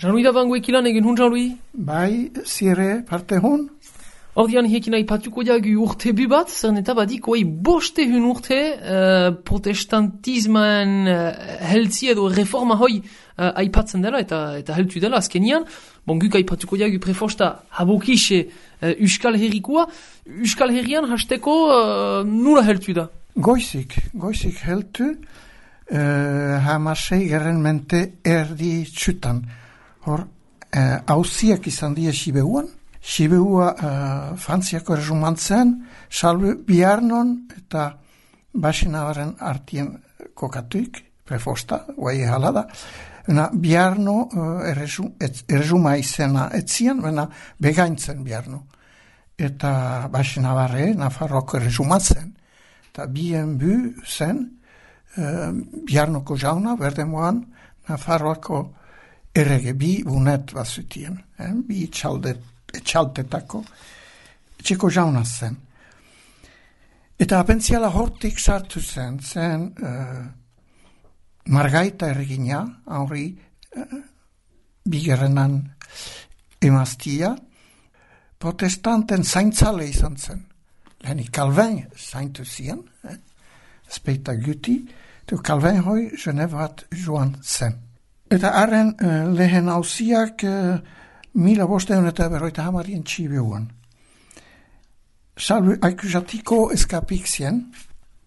Jean-Louis da bango ekilan egin hun, Jean-Louis? Bai, zire parte hun? Ordian hiekin aipatuko jagu urte bat, zeren eta badik oai boste hun urte protestantisman heltzi edo reforma hoi aipatzen dela eta heltu dela azkenian. Bon, guk aipatuko jagu prefosta habokixe Euskal Herrikoa. Euskal Herrian hasteko nula heltu da? Goizik heltu, hamasei gerren mente erdi txutan. Hor, hauziak izan die Sibeuan. Sibeua Frantziako erresumantzen, salbe biharnon eta basinabaren artien kokatuik, prefosta, guai halada. Biharno erresuma izena etzian, begaintzen biharno. Eta basinabarre, Nafarroko erresumatzen. Eta bien bu zen, biharnoko jauna, berdemoan, Nafarroako errege, bi bunet bazutien, bi etxaltetako, etxeko jauna zen. Eta apentziala hortik sartu zen Margaita erregina, Henri bigarrenan emaztia, protestanten zaintzale izan zen. Lehenik Calvin zaintu zien, speita guti, eta Calvin hoi Genevat joan zen. Eta haren lehen hauziak 1550 Sibeuan. Salve akusatiko eskapik zien,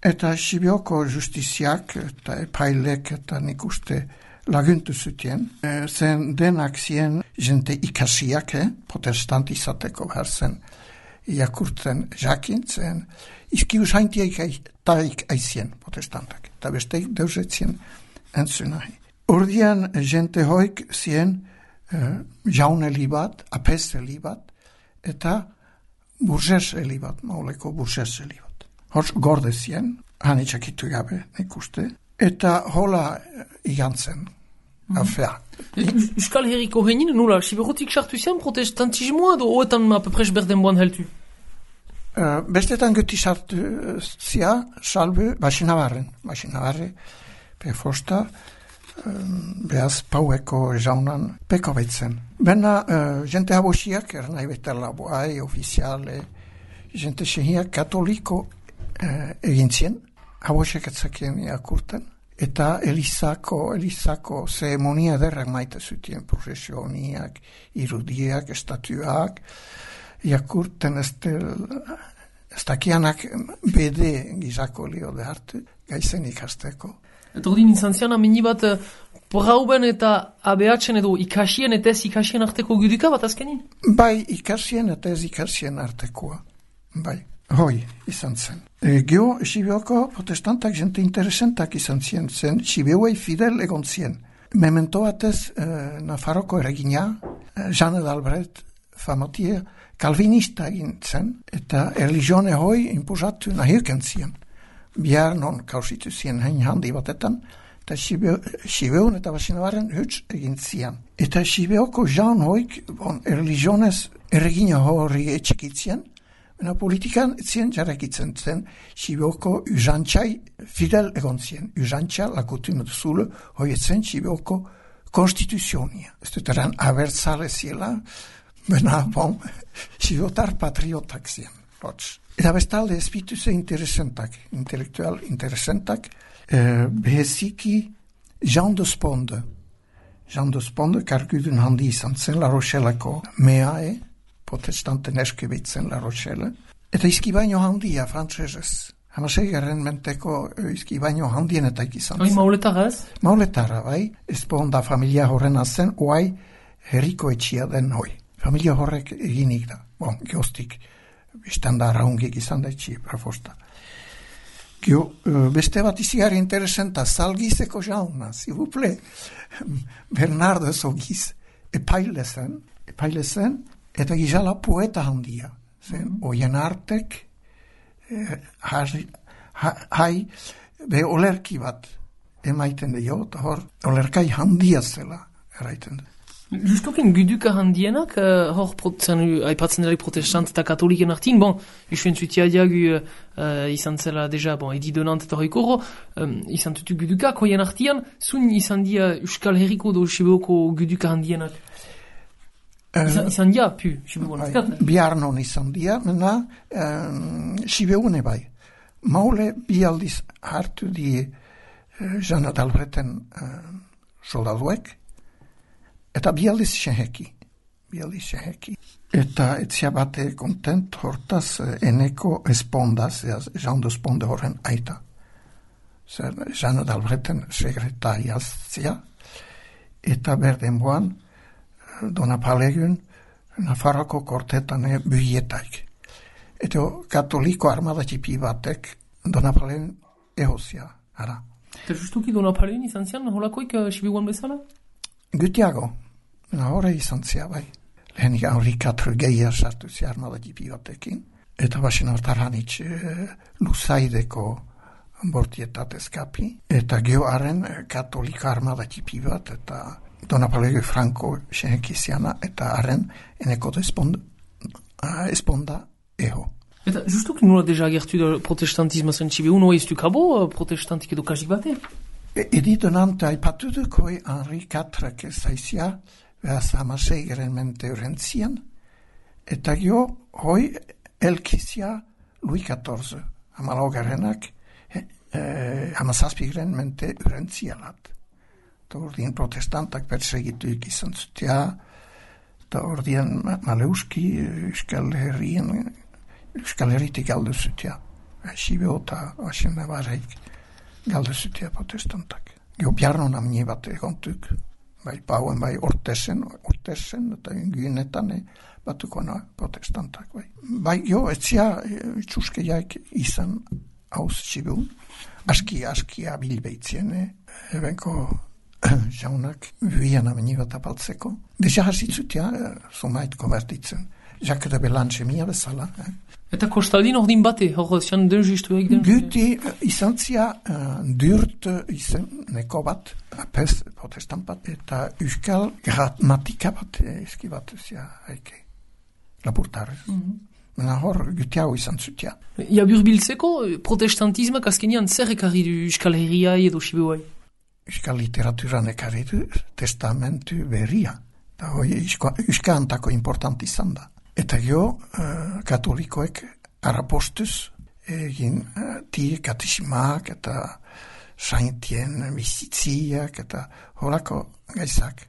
eta Sibeoko justiziak eta epailek eta nik uste laguntu zutien. Zen denak zien jente ikasiak, protestant izateko behar zen iakurtzen jakin, zen izkius haintiak taik aizien protestantak, eta besteik deusetzien entzunahi. Ordian jente hoik zien jaune libat, apese libat, eta burges libat, mauleko burges libat. Hors gorde zien, hanitxakitu gabe, nik uste, eta hola igantzen, afea. Euskal Herriko henin, nula, siberotik sartu zian protestantismoa, edo oetan apepres berdenboan heltu? Bestetan guti sartu zia, salbe, basinabarre, pefosta, behaz paueko jaunan peko betzen. Bena, jente habosiak, nahi betela boai, ofiziale, jente sehiak katoliko egintzien, habosiak etzakien iakurten, eta elizako zeremonia derrak maite zutien, procesioniak, irudiak, estatuak, iakurten ez dakianak bede gizako lio de hartu, gaizen ikasteko. Eta ordin izan zian amini bat Brauben eta ABH-en edo ikasien eta ez ikasien arteko guduka bat azkenin? Bai, ikasien eta ez ikasien artekoa. Bai, hoi izan zen. Geo, Sibeoko protestantak jente interesentak izan zen, Sibeuei fidel egon zien. Memento batez Nafarroko erregina, Jeanne d'Albret, famatia, kalvinista egin zen, eta religione hoi imposatu nahirken zien. Bihar non kausitu zien hein handi batetan, eta Sibeun eta Basinabaren huts egin zian. Eta Sibeoko jaun hoik, religionez erregina hori etxikitzien, baina politikan etzien jarrekitzen zen Sibeoko usantxai fidel egon zien. Usantxa lakutin duzule hoi etzen Sibeoko konstituzionia. Ez dut eran abertzale ziela, baina Sibeotar patriotak zien. Eta bestalde espituse intelektual interesentak, beheziki Jean de Sponde. Jean de Sponde kargudun handi izan zen La Rochelleko meae, protestanten eskebitzen La Rochelle. Eta izkibaino handia, frantsesez. Hamaseigarren menteko izkibaino handienetak izan zen. Mauletara ez? Mauletara, bai. Esponda familia horrena zen, oai herriko etxia den hoi. Familia horrek eginik da. Geostik. Bistanda raungik izan da etxi, prafosta. Beste bat izigari interesenta, Salgizeko jauna, zibuple, Bernardo Zogiz, epaile zen, eta gizala poeta handia. Oien artek, olerki bat emaiten dio, eta hor, olerkai handia zela, eraiten du. Justokin guduka handienak, hor aipatzen dela protestant eta katoliken artin, bon, usuen zutia diagu izan zela deja, bon, edi donant eta hoikoro, izan tutu gudukak hoien artian, zun izan dia Euskal Herriko do Sibeoko guduka handienak? Izan dia, pu, Sibeoan. Biarnon izan dia, mena, Sibeone bai. Maule bialdiz hartu die Jana d'Albreten soldaduek, eta bialdiz seheki. Eta etzia bate kontent hortaz eneko espondaz, jando esponde horren aita. Zer, Jana d'Albreten sekretariazia, eta berdenboan Dona Palegun Nafarroko kortetane bühietaik. Eta katoliko armada tipi batek Dona Palegun ehozia, ara. Eta justuki Dona Palegun izan zian, holakoik Sibiuan bezala? Gutiago. Hore izan zia, bai. Lehenik Henri IV gehiar sartu zia armada tipi batekin. Eta basen hartaranitz Luzaideko bortietat eskapi. Eta geoaren katolika armada tipi bat, eta Dona Palegun Franco sehekiziana, eta haren eneko esponda eho. Eta justuki nola deja agertu da protestantismo zen Sibiu, noa iztu kabo protestantik edo kasik bate? Edi donante aipatu dukoi Henri IV zaizia, behaz hamaseigeren mente urentzian, eta gio hoi elkizia Louis XIV, hamalaugarenak, hamazazpigeren mente urentzialat. Eta ordien protestantak persegituk izan zutia, eta ordien Maleuski Euskal Herritik galdu zutia. Sibio eta Asen Navarreik galdu zutia protestantak. Gio Biarnon amnie bat egontuk, bai pauen, bai ortesen, eta gynetan batukona protestantak, bai. Bai, gio, etzia txuskeiak izan hauz Sibiun, aski abilbeitzien, ebenko jaunak bian amnie bat apaltzeko. Deja hasitzutia, zumait konvertitzen. Jacques de Belange mia bezala. Eta kostaldin ordin bate, hor zian den justu egiten? Guti izan zia dürt izan neko bat, apes protestant bat, eta euskal gramatika bat, eski bat zia haike, lapurtarez. Mena hor guti hau izan zutia. Ja burbiltzeko, protestantismak azkenian zer ekarri du Euskal Herria edo Sibiuai? Euskal literaturan ekarri du testamentu berria. Eta hoi euskantako important izan da. Eta gio, katolikoek arapostuz egin tie katisimak eta saintien bizitziak eta holako gaizak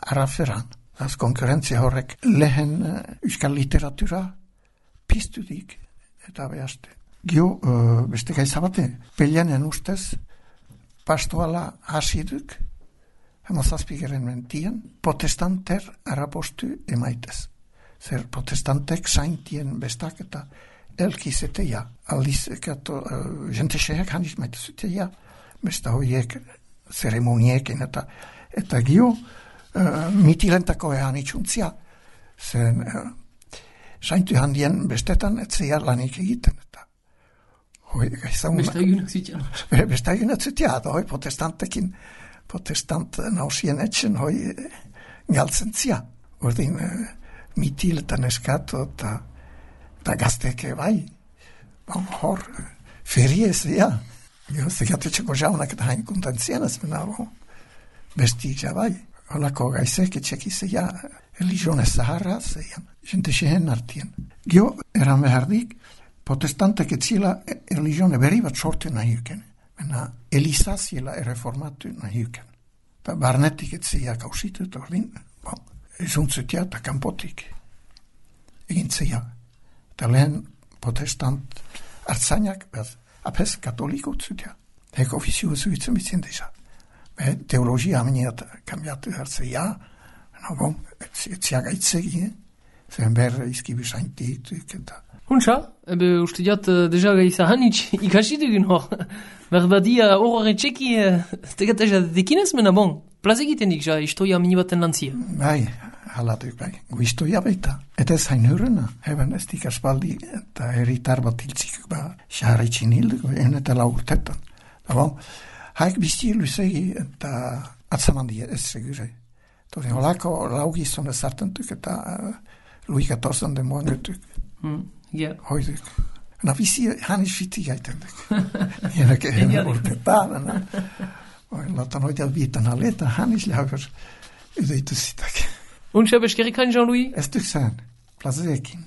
araferan. Az konkurrentzia horrek lehen euskal literatura piztudik eta behaste. Gio, beste gaizabate, pelianen ustez pastoala hasiduk hamazazpigeren mentian, protestanter arapostu emaitez. Zer protestantek saintien bestak eta elkizeteia. Aldiz, jente xeak haniz maitezuteia, besta hoiek zeremoniekin eta gio mitilentako ehan itxuntzia. Zen saintu handien bestetan etzeia lanik egiten eta hoi gaizaun... Besta egunak zutia, hoi protestantekin protestant nausien etxen hoi galtzen zia. Ordin mitil eta neskato eta gazteke bai. Hor, feriez, ja. Zegatetxeko jaunak eta hain kontentzienes, menabo. Bestik, ja bai. Holako gaizek etxeki zeia, religione zaharra zeian. Jente xehen artien. Gio, eran behardik, protestantek etzila religione berri bat sortu nahiuken. Mena, elizaziela erreformatu nahiuken. Ta barnetik etzeia kausitu, eta ordin, zuntzutia eta kanpotik egintzeia. Eta lehen protestant hartzainak, apes katoliko zutia. Eko ofizio zuitzen bitzen desa. Teologia ameniat kambiatu hartzeia, etzia gaitzegi, zen ber izkibi saintituk eta... Huntza, uste diat deja gaiza hanitz ikasi dugun hor. Berbadia horre txeki, tegateza dekinez mena bon. Plaz egiten dik, ja, istoia minibaten lantzia. Bai, halatuk bai. Guistoia baita. Eta ez hain hurrena. Eben ez dik aspaldi eta herritar bat hiltzik xarritxin hilduko, eta laurtetan. Bon, haik bizti luzegi eta atzamandi ez segure. Torin olako laugizon ezartentuk eta Louis XIV den moangetuk. Ja. Hoiduk. Na bizi hanis fiti gaitenduk. Jenek urtetan. Latan hoidel bitan aleta hanis lauger ydeitu sitak. Und schau beskerik kan Jean-Louis? Ez duk zen, plazeekin.